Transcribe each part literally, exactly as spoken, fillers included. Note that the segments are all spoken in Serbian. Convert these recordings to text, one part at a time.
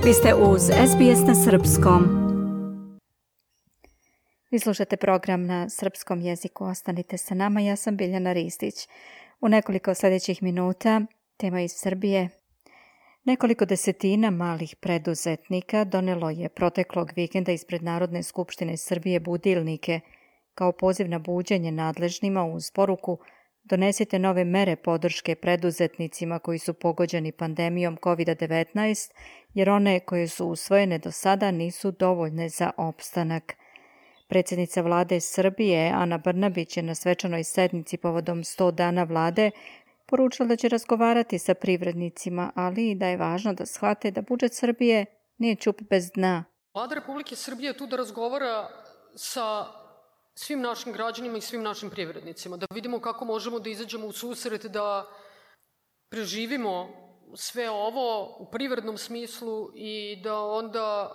Vi ste uz S B S na srpskom. Vi slušate program na srpskom jeziku. Ostanite sa nama, ja sam Biljana Ristić. U nekoliko sljedećih minuta tema iz Srbije. Nekoliko desetina malih preduzetnika donelo je proteklog vikenda ispred Narodne skupštine Srbije budilnike kao poziv na buđenje nadležnima uz poruku: donesite nove mere podrške preduzetnicima koji su pogođeni pandemijom kovid devetnaest, jer one koje su usvojene do sada nisu dovoljne za opstanak. Predsjednica vlade Srbije, Ana Brnabić, je na svečanoj sednici povodom sto dana vlade poručila da će razgovarati sa privrednicima, ali i da je važno da shvate da budžet Srbije nije ćup bez dna. Vlada Republike Srbije je tu da razgovara sa svim našim građanima i svim našim privrednicima, da vidimo kako možemo da izađemo u susret, da preživimo sve ovo u privrednom smislu i da onda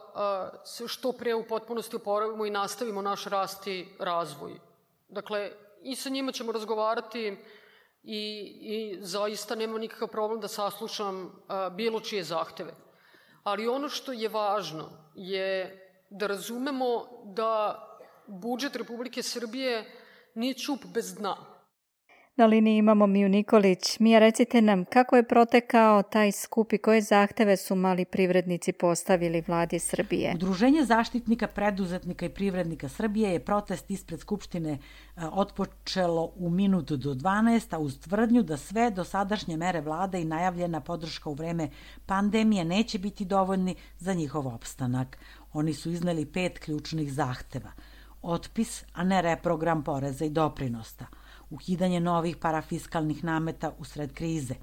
se što pre u potpunosti oporavimo i nastavimo naš rast i razvoj. Dakle, i sa njima ćemo razgovarati i, i zaista nema nikakav problem da saslušam bilo čije zahteve. Ali ono što je važno je da razumemo da budžet Republike Srbije nije ćup bez dna. Na liniji imamo Miju Nikolić. Mija, recite nam kako je protekao taj skup i koje zahteve su mali privrednici postavili vladi Srbije? Udruženje zaštitnika preduzetnika i privrednika Srbije je protest ispred Skupštine otpočelo u minutu do dvanaest, a uz tvrdnju da sve dosadašnje mere vlade i najavljena podrška u vreme pandemije neće biti dovoljni za njihov opstanak. Oni su izneli pet ključnih zahteva: otpis, a ne reprogram poreza i doprinosa, ukidanje novih parafiskalnih nameta usred krize,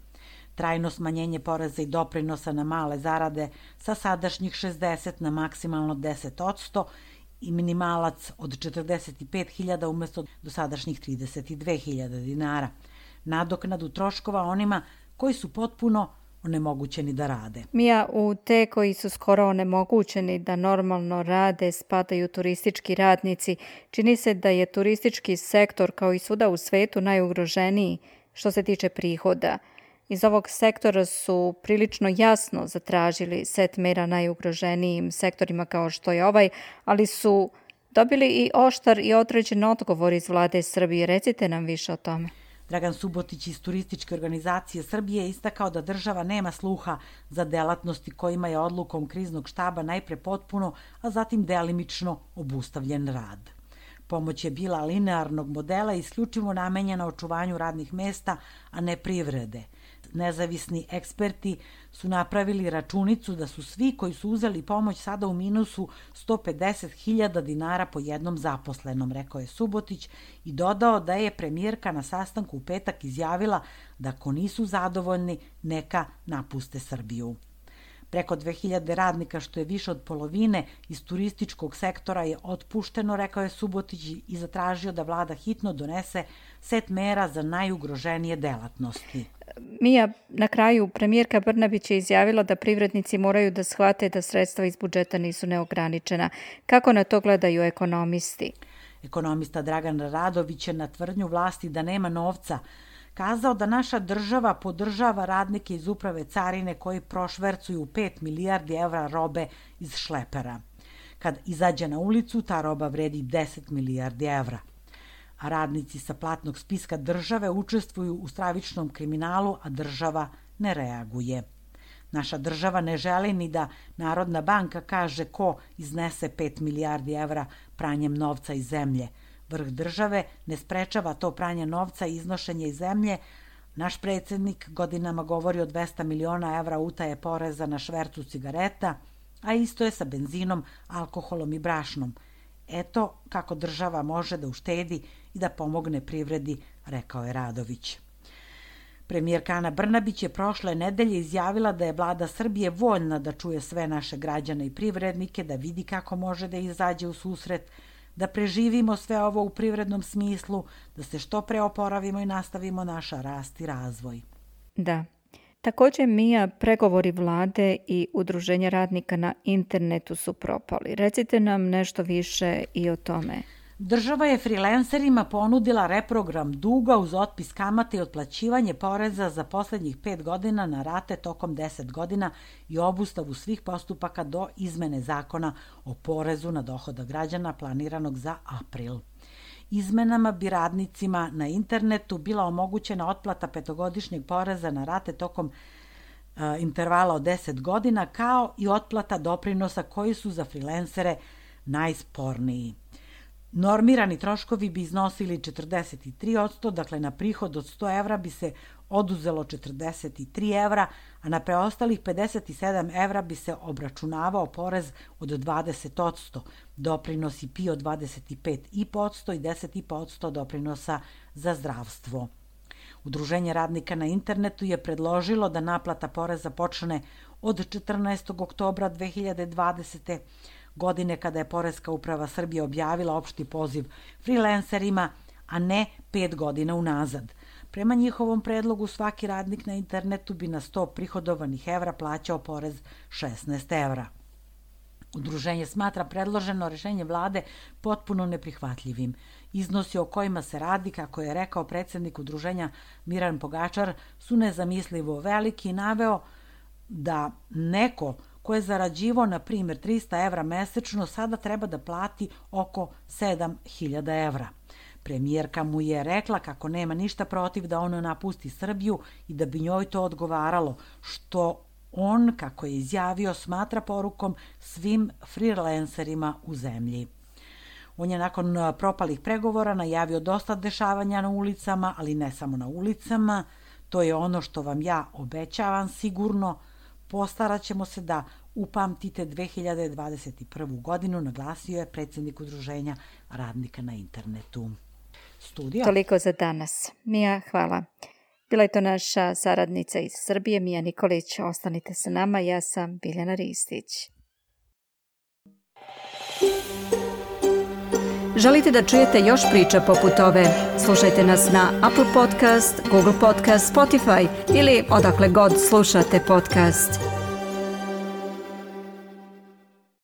trajno smanjenje poreza i doprinosa na male zarade sa sadašnjih šezdeset na maksimalno deset posto i minimalac od četrdeset pet hiljada umjesto dosadašnjih trideset dve hiljade dinara, nadoknadu troškova onima koji su potpuno onemogućeni da rade. Mija, u te koji su skoro onemogućeni da normalno rade spadaju turistički radnici. Čini se da je turistički sektor kao i svuda u svetu najugroženiji što se tiče prihoda. Iz ovog sektora su prilično jasno zatražili set mera najugroženijim sektorima kao što je ovaj, ali su dobili i oštar i određen odgovor iz vlade Srbije. Recite nam više o tome. Dragan Subotić iz Turističke organizacije Srbije je istakao da država nema sluha za delatnosti kojima je odlukom kriznog štaba najpre potpuno, a zatim delimično obustavljen rad. Pomoć je bila linearnog modela i isključivo namenjena očuvanju radnih mesta, a ne privrede. Nezavisni eksperti su napravili računicu da su svi koji su uzeli pomoć sada u minusu sto pedeset hiljada dinara po jednom zaposlenom, rekao je Subotić i dodao da je premijerka na sastanku u petak izjavila da ako nisu zadovoljni, neka napuste Srbiju. Preko dve hiljade radnika, što je više od polovine iz turističkog sektora, je otpušteno, rekao je Subotić i zatražio da vlada hitno donese set mera za najugroženije delatnosti. Mija, na kraju premijerka Brnabić je izjavila da privrednici moraju da shvate da sredstva iz budžeta nisu neograničena. Kako na to gledaju ekonomisti? Ekonomista Dragan Radović je na tvrdnju vlasti da nema novca kazao da naša država podržava radnike iz uprave carine koji prošvercuju pet milijardi evra robe iz šlepera. Kad izađe na ulicu, ta roba vredi deset milijardi evra. A radnici sa platnog spiska države učestvuju u stravičnom kriminalu, a država ne reaguje. Naša država ne želi ni da Narodna banka kaže ko iznese pet milijardi evra pranjem novca iz zemlje. Vrh države ne sprečava to pranje novca i iznošenje iz zemlje. Naš predsjednik godinama govori o dvesta miliona evra utaje poreza na švercu cigareta, a isto je sa benzinom, alkoholom i brašnom. Eto kako država može da uštedi i da pomogne privredi, rekao je Radović. Premijerka Ana Brnabić je prošle nedelje izjavila da je vlada Srbije voljna da čuje sve naše građane i privrednike, da vidi kako može da izađe u susret, da preživimo sve ovo u privrednom smislu, da se što pre oporavimo i nastavimo naša rast i razvoj. Da. Također, Mija, pregovori vlade i udruženja radnika na internetu su propali. Recite nam nešto više i o tome. Država je frilenserima ponudila reprogram duga uz otpis kamate i otplaćivanje poreza za poslednjih pet godina na rate tokom deset godina i obustavu svih postupaka do izmene zakona o porezu na dohodak građana planiranog za april. Izmenama bi radnicima na internetu bila omogućena otplata petogodišnjeg poreza na rate tokom uh, intervala od deset godina, kao i otplata doprinosa koji su za frilensere najsporniji. Normirani troškovi bi iznosili četrdeset tri posto, dakle na prihod od sto evra bi se oduzelo četrdeset tri evra, a na preostalih pedeset sedam evra bi se obračunavao porez od dvadeset posto, doprinosi P I O dvadeset pet posto i deset posto doprinosa za zdravstvo. Udruženje radnika na internetu je predložilo da naplata poreza počne od četrnaestog oktobra dve hiljade dvadesete. godine kada je Poreska uprava Srbije objavila opšti poziv frilenserima, a ne pet godina unazad. Prema njihovom predlogu svaki radnik na internetu bi na sto prihodovanih evra plaćao porez šesnaest evra. Udruženje smatra predloženo rešenje vlade potpuno neprihvatljivim. Iznosi o kojima se radi, kako je rekao predsednik udruženja Miran Pogačar, su nezamislivo veliki i naveo da neko ko je zarađivao, na primjer, trista evra mesečno, sada treba da plati oko sedam hiljada evra. Premijerka mu je rekla kako nema ništa protiv da ono napusti Srbiju i da bi njoj to odgovaralo, što on, kako je izjavio, smatra porukom svim frilenserima u zemlji. On je nakon propalih pregovora najavio dosta dešavanja na ulicama, ali ne samo na ulicama. To je ono što vam ja obećavam sigurno. Postarat ćemo se da upamtite dve hiljade dvadeset prvu. godinu, naglasio je predsjednik udruženja radnika na internetu. Studio. Toliko za danas. Mija, hvala. Bila je to naša saradnica iz Srbije, Mija Nikolić. Ostanite sa nama, ja sam Biljana Ristić. Želite da čujete još priča poput ove? Slušajte nas na Apple Podcast, Google Podcast, Spotify ili odakle god slušate podcast.